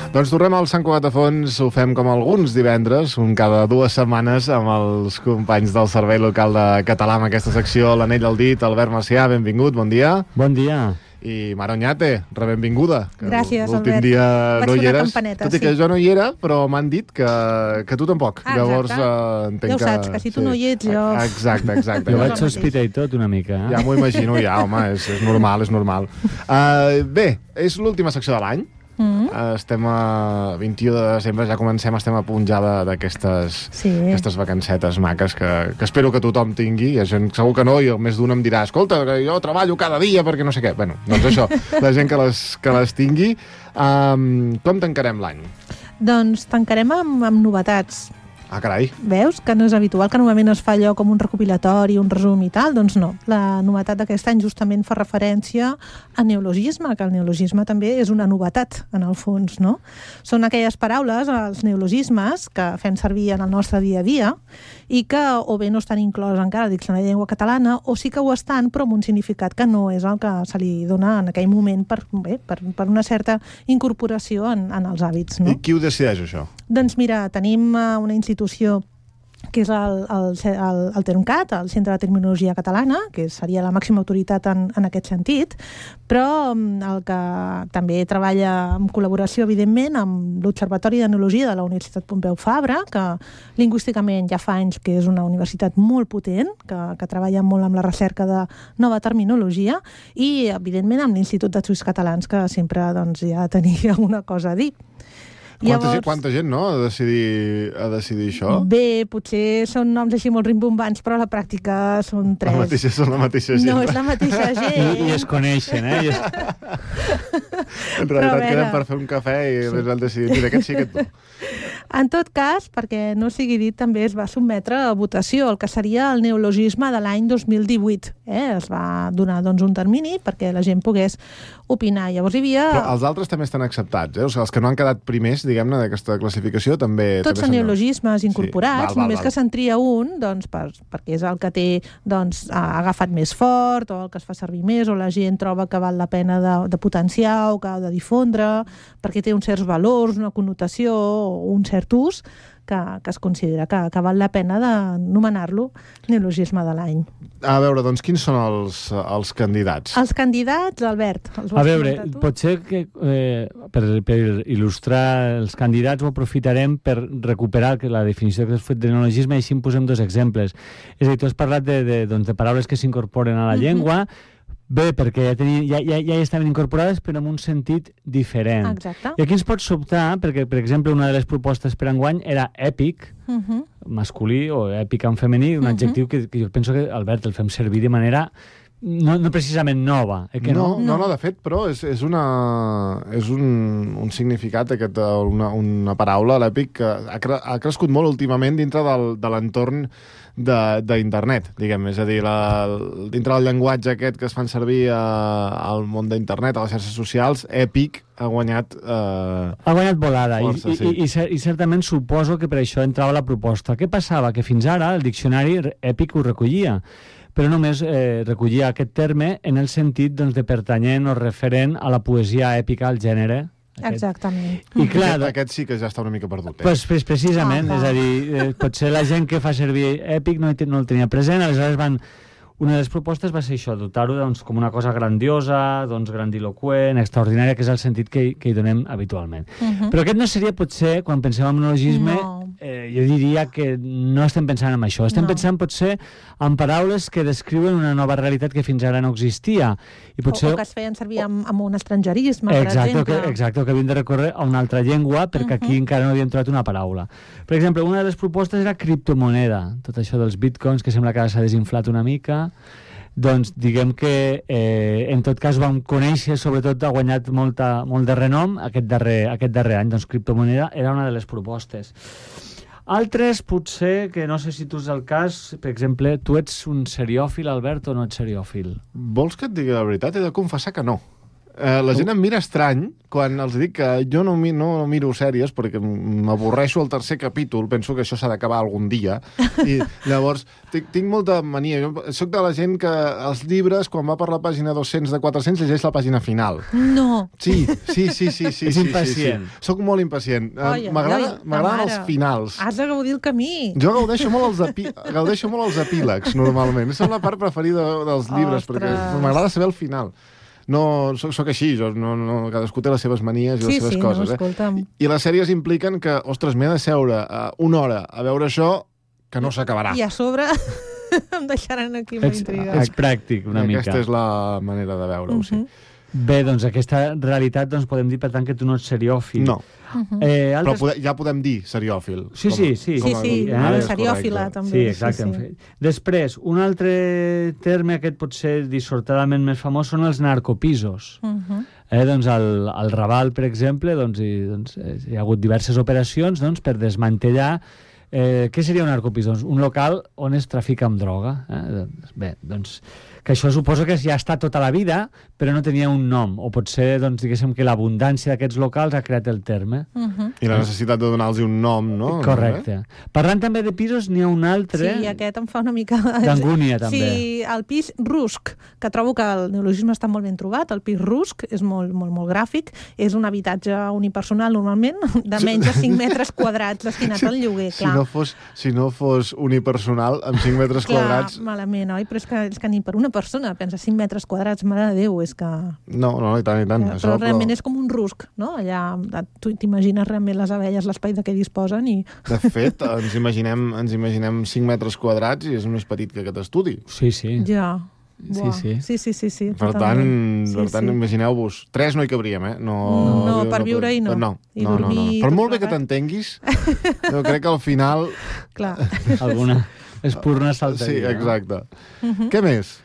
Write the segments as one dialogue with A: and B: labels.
A: Doncs tornem al Sant Cugat de Fons, ho fem com alguns divendres, un cada 2 setmanes, amb els companys del Servei Local de Català, amb aquesta secció, l'Anell al dit, Albert Macià, benvingut, bon dia.
B: Bon dia.
A: I Mara Oñate, benvinguda.
C: Gràcies, Albert.
A: L'últim dia no hi eres, tot i que jo no hi era, però m'han dit que tu tampoc. Llavors, entenc
C: ja ho saps, que si tu no hi ets, jo...
A: Exacte.
B: Jo vaig sospitar i tot una mica.
A: Ja m'ho imagino, home, és normal. Bé, és l'última secció de l'any. Estem a 21 de desembre, ja comencem, estem a punt ja d'aquestes vacancetes maques que espero que tothom tingui. Hi ha gent, segur que no, i el més d'un em dirà escolta, que jo treballo cada dia perquè no sé què. Bueno, doncs això, la gent que les tingui. Com tancarem l'any?
C: Doncs tancarem amb novetats.
A: Ah, carai.
C: Veus? Que no és habitual, que normalment es fa allò com un recopilatori, un resum i tal. Doncs no. La novetat d'aquest any justament fa referència a neologisme, que el neologisme també és una novetat, en el fons, no? Són aquelles paraules, els neologismes, que fem servir en el nostre dia a dia i que o bé no estan inclòs encara al Diccionari de Llengua Catalana o sí que ho estan, però amb un significat que no és el que se li dona en aquell moment per una certa incorporació en els hàbits, no?
A: I qui ho decideix, això?
C: Doncs mira, tenim una institució que és el TERMCAT, el Centre de Terminologia Catalana, que seria la màxima autoritat en aquest sentit, però el que també treballa en col·laboració, evidentment, amb l'Observatori de Neologia de la Universitat Pompeu Fabra, que lingüísticament ja fa anys que és una universitat molt potent, que treballa molt amb la recerca de nova terminologia, i, evidentment, amb l'Institut d'Estudis Catalans, que sempre ja tenia alguna cosa a dir.
A: Quanta gent, no?, ha de decidir això?
C: Bé, potser són noms així molt rimbombants, però a la pràctica són 3.
A: Són la mateixa gent.
C: No, és la mateixa gent.
B: I es coneixen,
A: En realitat queden per fer un cafè i després han decidit, mira, aquest sí, aquest no.
C: En tot cas, perquè no sigui dit, també es va sotmetre a votació el que seria el neologisme de l'any 2018. Es va donar un termini perquè la gent pogués opinar. Llavors hi havia...
A: Però els altres també estan acceptats, O sigui, els que no han quedat primers, diguem-ne, d'aquesta classificació, també...
C: Tots són neologismes incorporats, només que se'n tria un, perquè és el que té, ha agafat més fort, o el que es fa servir més, o la gent troba que val la pena de potenciar o que ha de difondre, perquè té uns certs valors, una connotació o un cert ús que es considera que val la pena d'anomenar-lo neologisme de l'any.
A: A veure, doncs, quins són els candidats?
C: Els candidats, Albert.
B: A veure, potser que per il·lustrar els candidats ho aprofitarem per recuperar la definició que has fet de neologisme i així en posem 2 exemples. És a dir, tu has parlat de paraules que s'incorporen a la llengua. Bé, perquè ja hi estaven incorporades, però en un sentit diferent.
C: Exacte.
B: I aquí ens pot sobtar, perquè, per exemple, una de les propostes per enguany era èpic, masculí, o èpic en femení, un adjectiu que jo penso que, Albert, el fem servir de manera no precisament nova.
A: No, de fet, però és un significat, una paraula, l'èpic, que ha crescut molt últimament dintre de l'entorn d'internet, diguem, és a dir, dintre del llenguatge aquest que es fan servir al món d'internet, a les xarxes socials, èpic ha guanyat
B: volada, força, i certament suposo que per això entrava la proposta. Què passava? Que fins ara el diccionari èpic ho recollia, però només recollia aquest terme en el sentit de pertanyent o referent a la poesia èpica, al gènere.
C: Exactament.
B: I clar,
A: aquest sí que ja està una mica perdut.
B: Precisament, és a dir, potser la gent que fa servir èpic no el tenia present, aleshores una de les propostes va ser això, dotar-ho com una cosa grandiosa, grandiloquent, extraordinària, que és el sentit que hi donem habitualment. Però aquest no seria, potser, quan pensem en neologisme, jo diria que no estem pensant en això. Estem pensant, potser, en paraules que descriuen una nova realitat que fins ara no existia.
C: O que es feien servir amb un estrangerisme, per exemple.
B: Exacte, que havien de recórrer a una altra llengua, perquè aquí encara no havíem trobat una paraula. Per exemple, una de les propostes era criptomoneda, tot això dels bitcoins, que sembla que ara s'ha desinflat una mica. Doncs diguem que en tot cas vam conèixer, sobretot ha guanyat molt de renom aquest darrer any. Doncs criptomoneda era una de les propostes. Altres, potser, que no sé si tu és el cas, per exemple, tu ets un seriòfil, Albert, o no ets seriòfil?
A: Vols que et digui la veritat? He de confessar que no. La gent em mira estrany quan els dic que jo no miro sèries perquè m'avorreixo al tercer capítol, penso que això s'ha d'acabar algun dia, i llavors tinc molta mania. Jo soc de la gent que els llibres, quan va per la pàgina 200 de 400, llegeix la pàgina final.
C: No.
A: Sí.
B: És impacient.
A: Soc molt impacient. M'agraden els finals.
C: Has de gaudir el camí.
A: Jo gaudeixo molt els epílegs, normalment. És la part preferida dels llibres, perquè m'agrada saber el final. No, soc així, cadascú té les seves manies i les seves coses. I les sèries impliquen que, ostres, m'he de seure una hora a veure això que no s'acabarà.
C: I a sobre em deixaran aquí amb intriga.
B: És pràctic, una mica.
A: Aquesta és la manera de veure-ho, sí.
B: Bé, doncs aquesta realitat podem dir, per tant, que tu no ets seriòfil.
A: No. Però ja podem dir seriòfil.
B: Sí.
C: Seriòfila, també.
B: Sí, exacte. Sí. Després, un altre terme, aquest pot ser dissortadament més famós, són els narcopisos. Doncs al Raval, per exemple, hi ha hagut diverses operacions per desmantellar. Què seria un narcopis? Doncs un local on es trafica amb droga. Bé, doncs que això suposo que ja està tota la vida, però no tenia un nom, o potser, diguéssim, que l'abundància d'aquests locals ha creat el terme.
A: I la necessitat de donar-los un nom, no?
B: Correcte. Parlant també de pisos, n'hi ha un altre...
C: Sí, aquest em fa una mica...
B: d'angúnia, també.
C: Sí, el pis rusc, que trobo que el neologisme està molt ben trobat, el pis rusc és molt gràfic, és un habitatge unipersonal, normalment, de menys de 5 metres quadrats destinat al lloguer, clar.
A: Si no fos unipersonal, amb 5 metres quadrats...
C: Clar, malament, oi? Però és que ni per una persona pensa 5 metres quadrats, mare de Déu, és que...
A: No, i tant.
C: Però realment és com un rusc, no? Allà tu t'imagines realment les abelles, l'espai de què disposen i...
A: De fet, ens imaginem 5 metres quadrats i és més petit que aquest estudi.
B: Sí.
C: Ja.
B: Sí.
A: Per tant, imagineu-vos, 3 no hi cabríem, eh?
C: No, per viure-hi no.
A: No.
C: Dormir...
A: Per molt bé que t'entenguis, jo crec que al final...
C: Clar.
B: Alguna espurna saltaria.
A: Sí, exacte. Què més?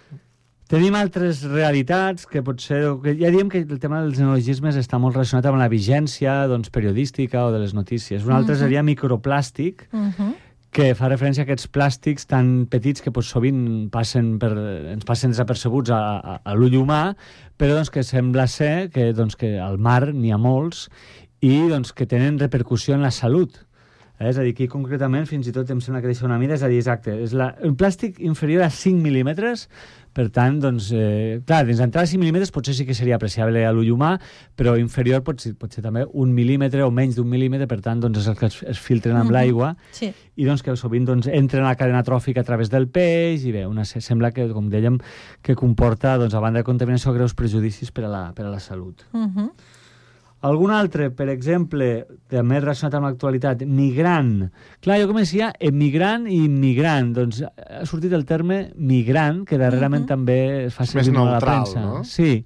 B: Tenim altres realitats que potser... Ja diem que el tema dels neologismes està molt relacionat amb la vigència periodística o de les notícies. Un altre seria microplàstic, que fa referència a aquests plàstics tan petits que sovint ens passen desapercebuts a l'ull humà, però que sembla ser que al mar n'hi ha molts i que tenen repercussió en la salut. És a dir, aquí concretament fins i tot em sembla que deixa una mida, és a dir, exacte, és un plàstic inferior a 5 mil·límetres, per tant, clar, dins d'entrar a 5 mil·límetres potser sí que seria apreciable a l'ull humà, però inferior pot ser també 1 mil·límetre o menys d'1 mil·límetre, per tant, és el que es filtren amb l'aigua, i que sovint entren a la cadena tròfica a través del peix, i bé, sembla que, com dèiem, que comporta, a banda de contaminació, greus prejudicis per a la salut. Algun altre, per exemple, també relacionat amb l'actualitat, migrant. Clar, jo començia emigrant i immigrant. Doncs ha sortit el terme migrant, que darrerament també es fa servir molt a la premsa.
A: Més neutral, no?
B: Sí,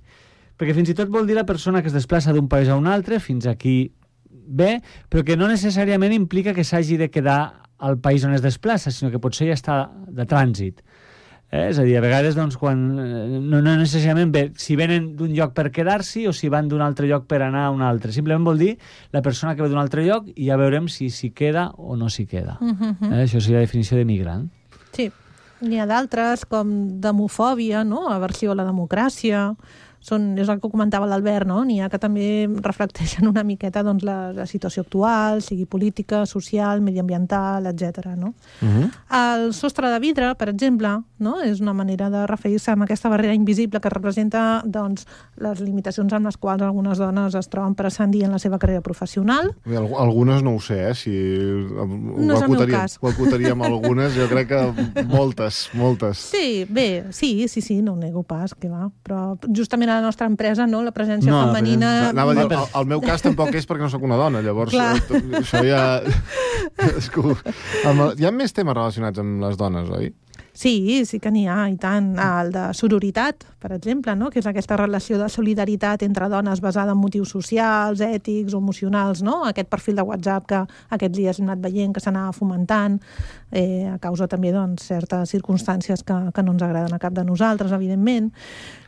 B: perquè fins i tot vol dir la persona que es desplaça d'un país a un altre, fins aquí bé, però que no necessàriament implica que s'hagi de quedar al país on es desplaça, sinó que potser ja està de trànsit. És a dir, a vegades, quan no necessàriament bé si venen d'un lloc per quedar-s'hi o si van d'un altre lloc per anar a un altre. Simplement vol dir la persona que ve d'un altre lloc i ja veurem si s'hi queda o no s'hi queda. Això seria la definició de migrant.
C: Sí. N'hi ha d'altres, com demofòbia, no? Aversió a la democràcia... És el que comentava l'Albert, no? N'hi ha que també reflecteixen una miqueta la situació actual, sigui política, social, mediambiental, etc. No? El sostre de vidre, per exemple, no? És una manera de referir-se a aquesta barrera invisible que representa les limitacions amb les quals algunes dones es troben per ascendir en la seva carrera professional.
A: Algunes no ho sé, si
C: no és el meu cas.
A: Ho acotaríem algunes, jo crec que moltes.
C: Sí, bé, sí, no ho nego pas, que va, però justament a la nostra empresa, no? La presència femenina...
A: Anava a dir, el meu cas tampoc és perquè no sóc una dona, llavors això ja... Hi ha més temes relacionats amb les dones, oi?
C: Sí que n'hi ha, i tant. El de sororitat, per exemple, no? Que és aquesta relació de solidaritat entre dones basada en motius socials, ètics o emocionals, no? Aquest perfil de WhatsApp que aquests dies hem anat veient que s'anava fomentant a causa també certes circumstàncies que no ens agraden a cap de nosaltres, evidentment.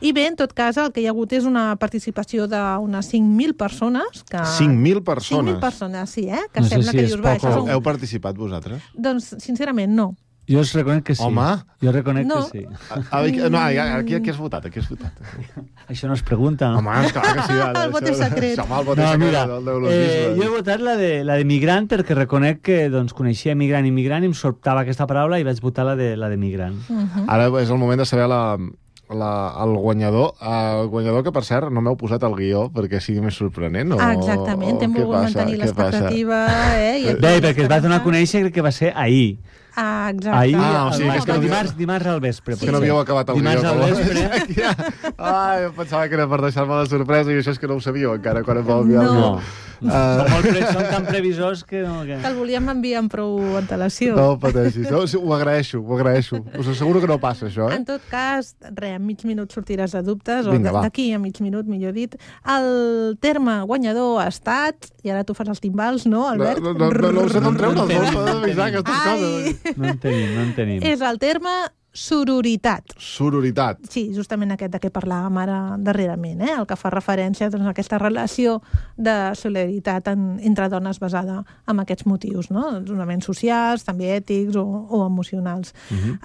C: I bé, en tot cas, el que hi ha hagut és una participació d'unes 5.000 persones.
A: 5.000 persones?
C: 5.000 persones, sí, que
B: no
C: sembla
B: sé si
C: que dius,
B: poc.
A: Heu participat vosaltres?
C: Doncs, sincerament, no.
B: Jo us reconec que sí.
A: Home!
B: Jo reconec
C: No.
B: que sí.
A: No, aquí has votat,
B: Això no es pregunta, no?
A: Home, esclar que sí.
C: El vot és secret.
A: Home, el vot és
B: No,
A: secret
B: mira,
A: del neologisme.
B: jo he votat la de migrant perquè reconec que doncs, coneixia migrant i migrant i em sobtava aquesta paraula i vaig votar la de migrant.
A: Ara és el moment de saber el guanyador. El guanyador que, per cert, no m'heu posat el guió perquè sigui més sorprenent.
C: Exactament, hem volgut mantenir l'expectativa.
B: Bé, perquè es va donar a conèixer crec que va ser ahir.
C: Exacte.
B: Ahir,
A: o sigui, és que
B: dimarts al vespre.
A: És que no havíeu acabat el
B: dimarts
A: guió.
B: al vespre.
A: Ai, em pensava que era per deixar-me la sorpresa i això és que no ho sabíeu encara quan em vau enviar el guió.
B: Són tan previsors que no...
C: Que el volíem enviar amb prou antelació.
A: No pateixis. No, ho agraeixo. Us asseguro que no passa, això,
C: En tot cas, en mig minut sortiràs de dubtes,
A: Vinga,
C: o d'aquí a mig minut, millor dit. El terme guanyador ha estat, i ara tu fas els timbals, no, Albert?
A: No sé d'on treure els dos, per avisar aquestes coses.
B: No en tenim.
C: És el terme sororitat.
A: Sororitat.
C: Sí, justament aquest de què parlàvem ara darrerament, el que fa referència doncs, a aquesta relació de solidaritat entre dones basada en aquests motius, no? Fonaments socials, també ètics o emocionals.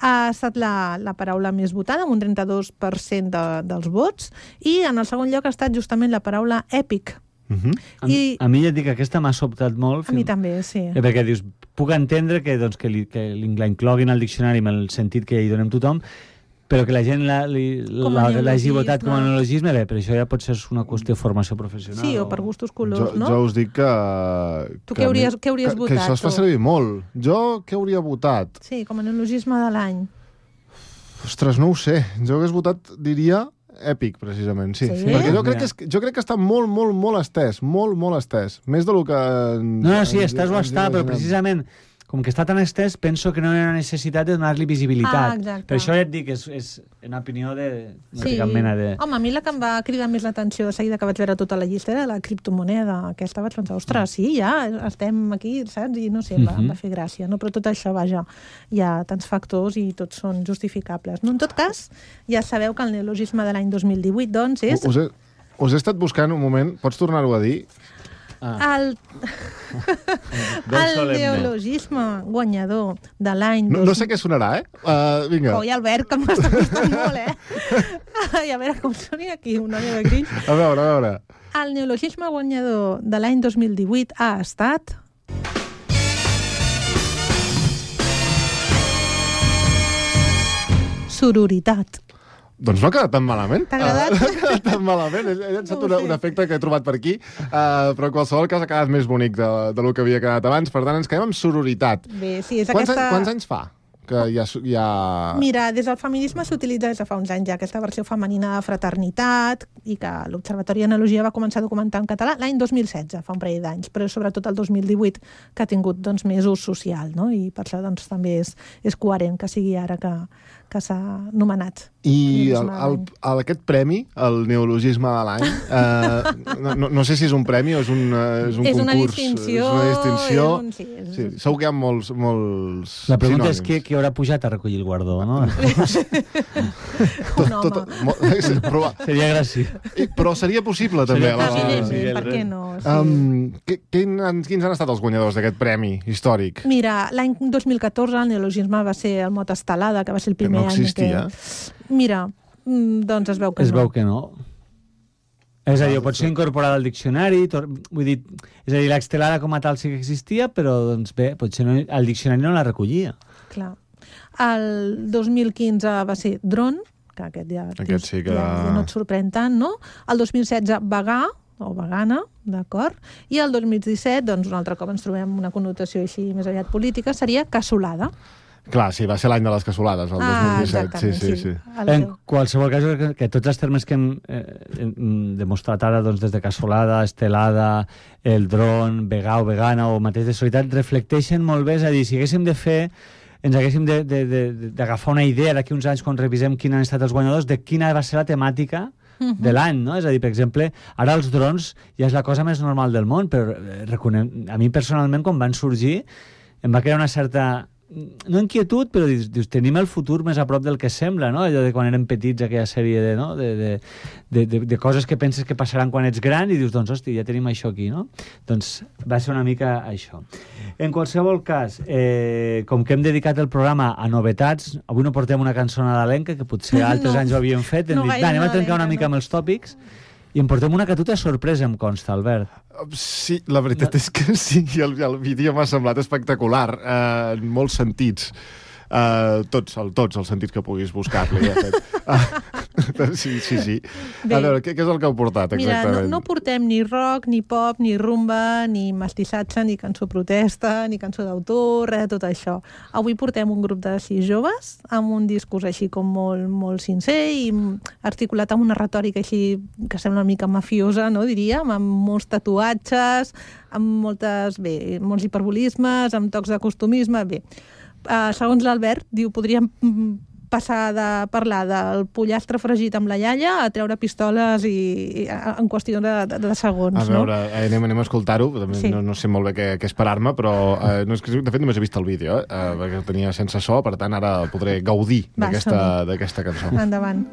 C: Ha estat la paraula més votada, amb un 32% dels vots, i en el segon lloc ha estat justament la paraula èpic.
B: A mi ja et dic que aquesta m'ha sobtat molt.
C: A mi també, sí.
B: Perquè dius, puc entendre que la incloguin al diccionari amb el sentit que hi donem tothom, però que la gent l'hagi votat com a neologisme, bé, però això ja pot ser una qüestió de formació professional.
C: Sí, o per gustos colors, no?
A: Jo us dic que...
C: Tu què hauries votat?
A: Que això es fa servir molt. Jo què hauria votat?
C: Sí, com a neologisme de l'any.
A: Ostres, no ho sé. Jo hagués votat, diria... èpic, precisament, sí. Perquè jo crec que està molt estès, molt estès. Més del que...
B: No, sí, estàs o està, però precisament, com que està tan estès, penso que no hi ha necessitat de donar-li visibilitat. Per això ja et dic, és una opinió de... No té cap mena de...
C: Home, a mi la que em va cridar més l'atenció de seguida que vaig veure tota la llista era la criptomoneda. Aquesta vaig pensar, ostres, sí, ja estem aquí, saps? I no sé, em va fer gràcia. No? Però tot això, vaja, hi ha tants factors i tots són justificables. No, en tot cas, ja sabeu que el neologisme de l'any 2018, doncs, és...
A: Us he estat buscant un moment, pots tornar-ho a dir?
C: El neologisme guanyador de l'any...
A: No sé què sonarà, Vinga.
C: Coi, Albert, que m'està costant molt, I a veure com soni aquí, una meva grinx.
A: A veure.
C: El neologisme guanyador de l'any 2018 ha estat... sororitat.
A: Doncs no ha quedat tan malament.
C: T'ha agradat?
A: No ha quedat tan malament. He llançat un efecte que he trobat per aquí, però en qualsevol cas ha quedat més bonic del que havia quedat abans. Per tant, ens quedem amb sororitat.
C: Bé, sí, és
A: Quants anys fa que hi ha...
C: Mira, des del feminisme s'utilitza des de fa uns anys ja aquesta versió femenina de fraternitat i que l'Observatori d'Analogia va començar a documentar en català l'any 2016, fa un parell d'anys, però sobretot el 2018 que ha tingut doncs, més ús social, no? I per això doncs, també és coherent que sigui ara que s'ha nomenat.
A: I aquest premi, el neologisme de l'any, no sé si és un premi o és un concurs.
C: És una distinció.
A: Sí, segur que hi ha molts
B: La pregunta és qui haurà pujat a recollir el guardó, no?
C: Un home.
B: Seria gràcies.
A: Però seria possible, també.
C: Evidentment, per què no?
A: Quins han estat els guanyadors d'aquest premi històric?
C: Mira, l'any 2014 el neologisme va ser el mot estelada, que va ser el primer
A: any. No existia.
C: Mira, doncs es veu que no.
B: Es veu que no. És a dir, pot ser incorporada al diccionari, vull dir, és a dir, l'estelada com a tal sí que existia, però, doncs bé, potser el diccionari no la recollia.
C: Clar. El 2015 va ser dron, que aquest sí que... ja no et sorprèn tant, no? El 2016, vegà, o vegana, d'acord? I el 2017, doncs un altre cop ens trobem una connotació així més aviat política, seria cassolada.
A: Clar, sí, va ser l'any de les cassolades, el 2017. Sí.
B: En qualsevol cas, que tots els termes que hem demostrat ara, doncs, des de cassolada, estelada, el dron, vegà o vegana o mateix de solidaritat, reflecteixen molt bé, és a dir, si haguéssim de fer, ens haguéssim d'agafar una idea d'aquí uns anys quan revisem quins han estat els guanyadors, de quina va ser la temàtica de l'any, no? És a dir, per exemple, ara els drons ja és la cosa més normal del món, però a mi personalment, quan van sorgir, em va crear una certa no inquietud, però dius, tenim el futur més a prop del que sembla, no? Allò de quan érem petits, aquella sèrie de coses que penses que passaran quan ets gran i dius, doncs, hosti, ja tenim això aquí, no? Doncs va ser una mica això. En qualsevol cas, com que hem dedicat el programa a novetats, avui no portem una cançó nadalenca, que potser altres anys ho havíem fet, hem dit, anem a trencar una mica amb els tòpics, i em portem una que a tu t'ha sorpresa, em consta, Albert.
A: Sí, la veritat és que sí, el vídeo m'ha semblat espectacular, en molts sentits. Tots els sentits que puguis buscar-li. Sí. A veure, què és el que heu portat, exactament?
C: Mira, no portem ni rock, ni pop, ni rumba, ni mestissatge, ni cançó protesta, ni cançó d'autor, res de tot això. Avui portem un grup de 6 joves amb un discurs així com molt, molt sincer i articulat amb una retòrica així que sembla una mica mafiosa, no, diríem, amb molts tatuatges, amb molts hiperbolismes, amb tocs de costumisme, bé. Segons l'Albert, diu, podríem passar de parlar del pollastre fregit amb la iaia a treure pistoles en qüestió de segons.
A: A veure, anem a escoltar-ho,
C: sí.
A: No sé molt bé què esperar-me, però de fet només he vist el vídeo, perquè el tenia sense so, per tant ara podré gaudir d'aquesta cançó.
C: Endavant.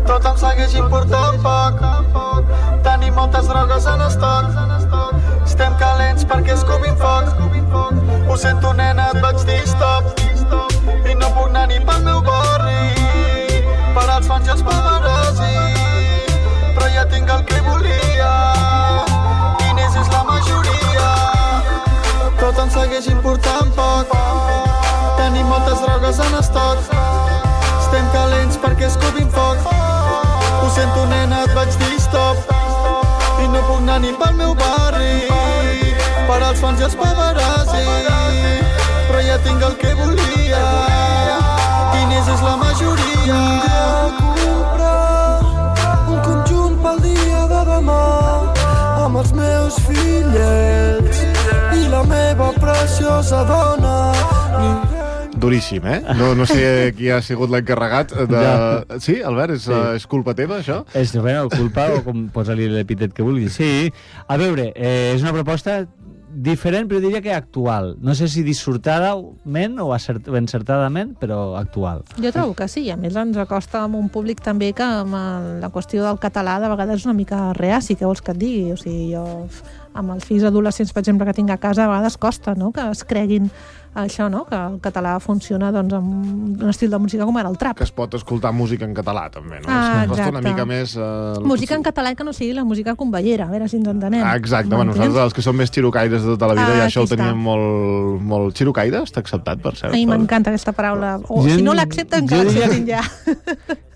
D: Tot em segueix important poc. Tenim moltes drogues en estoc. Estem calents perquè escopim foc. Ho sento, nena, et vaig dir stop. I no puc anar ni pel meu barri, per als fans i els paparazzi. Però ja tinc el que volia, diners és la majoria. Tot em segueix important poc. Tenim moltes drogues en estoc. Estem calents perquè escopim foc. Ho sento, nena, et vaig dir stop. I no puc anar ni pel meu barri, per als fans i els paparazzi. Però ja tinc el que volia, diners és la majoria. Comprar un conjunt pel dia de demà, amb els meus fillets i la meva preciosa dona.
A: Duríssim, No sé qui ha sigut l'encarregat de... Sí, Albert, és culpa teva, això?
B: És culpa, o com posa-li l'epítet que vulguis. Sí, a veure, és una proposta diferent, però diria que actual. No sé si dissortadament o encertadament, però actual.
C: Jo trobo que sí, a més ens acosta amb un públic també que amb la qüestió del català de vegades és una mica reaci, què vols que et digui? O sigui, jo amb els fills adolescents, per exemple, que tinc a casa, a vegades costa, no?, que es creguin això, no?, que el català funciona doncs amb un estil de música com era el trap.
A: Que es pot escoltar música en català, també, no?
C: Costa
A: una mica més...
C: Música en català que no sigui la música convellera, a veure si ens entenem.
A: Exacte, bueno, nosaltres els que som més xirocaires de tota la vida, ja això ho teníem molt... Xirocaire està acceptat, per cert.
C: A mi m'encanta aquesta paraula. O si no l'accepten, que l'acceptin ja.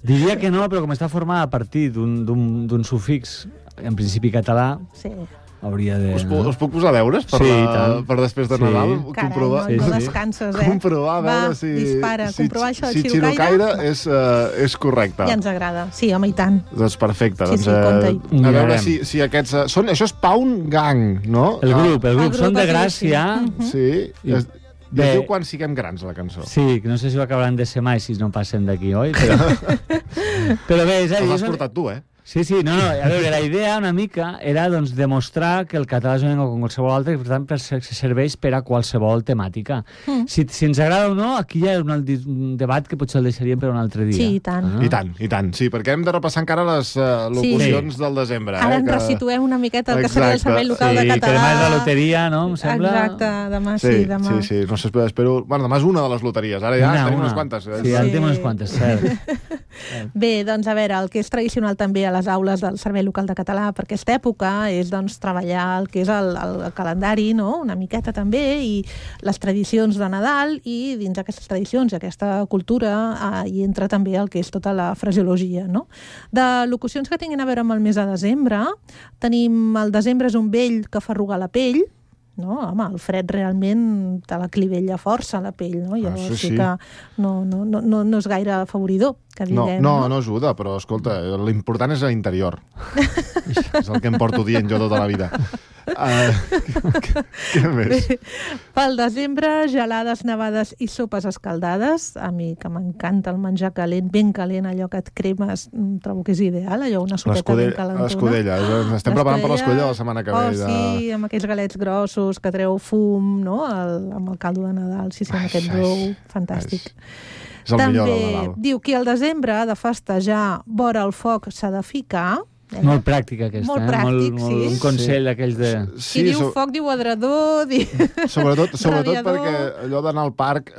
B: Diria que no, però com està formada a partir d'un sufix, en principi català...
C: Sí.
B: Hauria de...
A: Us puc posar deures per després de Nadal?
C: Carai, no descanses,
A: comprovar, a veure si...
C: dispara, comprovar això de
A: xirocaire és correcte.
C: Ja ens agrada. Sí, home, i tant.
A: Doncs perfecte.
C: Sí, compte-hi.
A: A veure si aquests... Això és Pound Gang, no?
B: El grup són de Gràcia.
A: Sí. I es diu Quan siguem grans, la cançó.
B: Sí, que no sé si ho acabaran de ser mai si no passen d'aquí, oi? Però bé, és a dir...
A: l'has portat tu,
B: Sí, no, a veure, la idea una mica era doncs, demostrar que el català és una llengua com qualsevol altra i per tant serveix per a qualsevol temàtica. Si ens agrada o no, aquí hi ha un debat que potser el deixaríem per un altre dia.
C: Sí, i tant.
A: I tant, sí, perquè hem de repassar encara les locucions del desembre.
C: Ara ens resituem una miqueta el que seria el servei local de català.
B: Sí, que demà és la loteria, no? Em sembla...
C: Exacte, demà sí, demà.
A: Sí, no sé, espero... Bueno, demà és una de les loteries, ara ja tenim unes quantes.
B: Sí, ja en tenim unes quantes, cert.
C: Bé, doncs a veure, el que és tradicional també a les aules del servei local de català per aquesta època és doncs treballar el que és el calendari, no?, una miqueta també, i les tradicions de Nadal, i dins d'aquestes tradicions i aquesta cultura hi entra també el que és tota la fraseologia, no? De locucions que tinguin a veure amb el mes de desembre, tenim el desembre és un vell que fa arrugar la pell, no? Home, el fred realment te la clivella força la pell, no? Llavors sí que no és gaire afavoridor, que diguem.
A: No ajuda, però escolta, l'important és l'interior. És el que em porto dient jo tota la vida. Què més?
C: Pel desembre, gelades, nevades i sopes escaldades. A mi, que m'encanta el menjar calent, ben calent, allò que et cremes, trobo que és ideal, allò, una sopeta ben calentona.
A: L'escudella. Estem preparant per l'escudella la setmana que ve.
C: Sí, amb aquells galets grossos que treu fum, no? Amb el caldo de Nadal, sí, amb aquest brou, fantàstic.
A: És el millor del
C: Nadal.
A: També
C: diu que al desembre ha de festejar vora el foc s'ha de ficar.
B: Molt pràctic, aquesta.
C: Molt pràctic, sí.
B: Un consell d'aquells de...
C: Si diu foc, diu adredor,
A: Sobretot perquè allò d'anar al parc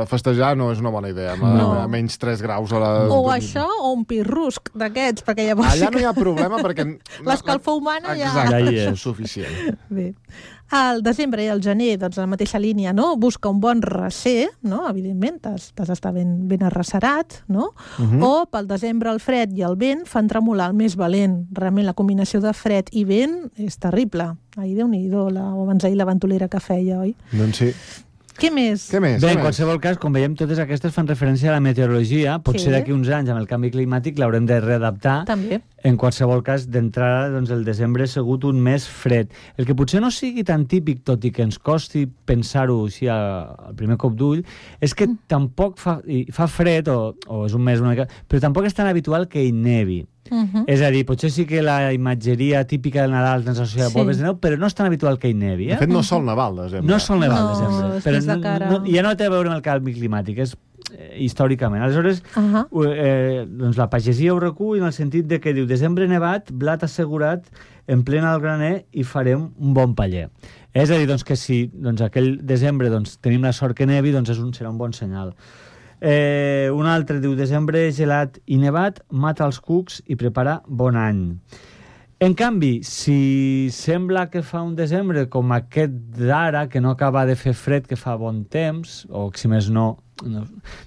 A: festejar no és una bona idea, a menys 3 graus a la...
C: O això, o un pirrusc d'aquests, perquè llavors...
A: Allà no hi ha problema perquè...
C: L'escalfor humana ja...
A: Exacte, és suficient.
C: Bé. Al desembre i al gener, doncs, la mateixa línia, no? Busca un bon recer, no? Evidentment, t'has d'estar ben arrecerat, no? O pel desembre el fred i el vent fan tremolar el més valent. Realment la combinació de fred i vent és terrible. Ahir, Déu-n'hi-do, o abans ahir la ventolera que feia, oi?
A: Doncs sí.
C: Què més?
B: Bé, en qualsevol cas, com veiem, totes aquestes fan referència a la meteorologia. Potser d'aquí uns anys, amb el canvi climàtic, l'haurem de readaptar.
C: També.
B: En qualsevol cas, d'entrada, doncs, el desembre ha sigut un mes fred. El que potser no sigui tan típic, tot i que ens costi pensar-ho així al primer cop d'ull, és que tampoc fa fred, o és un mes una mica, però tampoc és tan habitual que hi nevi. És a dir, potser sí que la imatgeria típica del Nadal ens associa a boles de neu, però no és tan habitual que hi nevi.
A: De fet, no sol nevar al desembre.
B: No sol nevar al desembre.
C: No, és de cara.
B: Ja no té a veure amb el canvi climàtic, és històricament. Aleshores, doncs la pagesia ho recull en el sentit de que diu desembre nevat, blat assegurat, en plena al graner i farem un bon paller. És a dir, doncs, que si aquell desembre tenim la sort que nevi, doncs serà un bon senyal. Un altre diu desembre gelat i nevat, mata els cucs i prepara bon any. En canvi, si sembla que fa un desembre com aquest d'ara, que no acaba de fer fred, que fa bon temps, o si més no,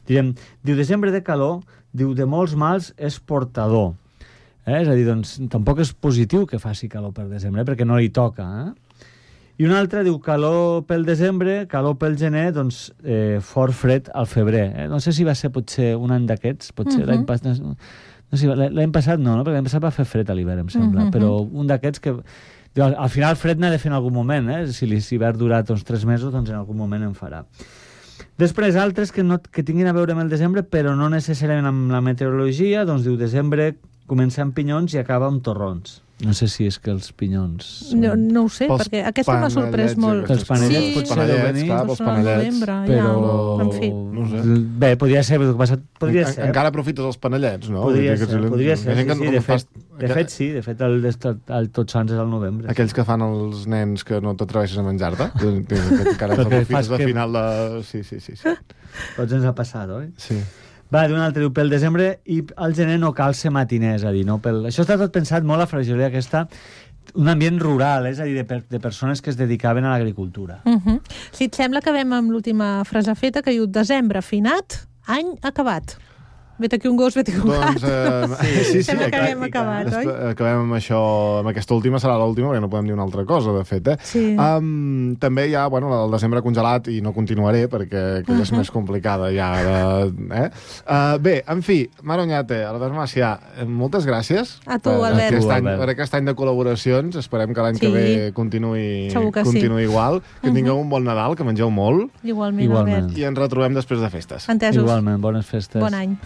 B: diu desembre de calor, diu de molts mals és portador. És a dir, doncs tampoc és positiu que faci calor per desembre, perquè no li toca, I un altre diu calor pel desembre, calor pel gener, doncs fort fred al febrer. No sé si va ser potser un any d'aquests, potser l'any passat... No sé, l'any passat no, perquè l'any passat va fer fred a l'hivern, em sembla, però un d'aquests que... Al final fred n'ha de fer en algun moment, si l'hivern dura 3 mesos, doncs en algun moment en farà. Després, altres que tinguin a veure amb el desembre, però no necessàriament amb la meteorologia, doncs diu desembre comença amb pinyons i acaba amb torrons. No sé si és que els pinyons...
C: No ho sé, perquè aquesta m'ha sorprès molt.
B: Els panellets potser deu venir.
A: Els panellets,
B: però...
C: En fi.
A: No sé.
B: Bé, podria ser.
A: Encara aprofites els panellets, no?
B: Podria ser, sí. De fet, sí. De fet, el Tots Sants és al novembre.
A: Aquells que fan els nens que no t'atreveixes a menjar-te? Encara t'aprofites de final de... Sí.
B: Tots ens ha passat, oi?
A: Sí.
B: Va, d'un altre diu, pel desembre i al gener no cal ser matiner, és a dir, no pel... Això està tot pensat molt a Fragilia, aquesta, un ambient rural, és a dir, de persones que es dedicaven a l'agricultura.
C: Si et sembla, acabem amb l'última frase feta, que diu desembre finat, any acabat. Vet aquí un gos, vet aquí un gat.
A: Sí,
C: sembla que haguem acabat, oi?
A: Acabem amb això, amb aquesta última serà l'última, perquè no podem dir una altra cosa, de fet,
C: Sí.
A: També hi ha, la del desembre congelat, i no continuaré, perquè aquella és més complicada ja. Bé, en fi, Mar Oñate, Albert Macià, moltes gràcies.
C: A tu, Albert.
A: Per aquest any de col·laboracions. Esperem que l'any que ve continuï igual. Que tingueu un bon Nadal, que mengeu molt.
C: Igualment, Albert.
A: I ens retrobem després de festes.
C: Entesos.
B: Igualment, bones festes.
C: Bon any.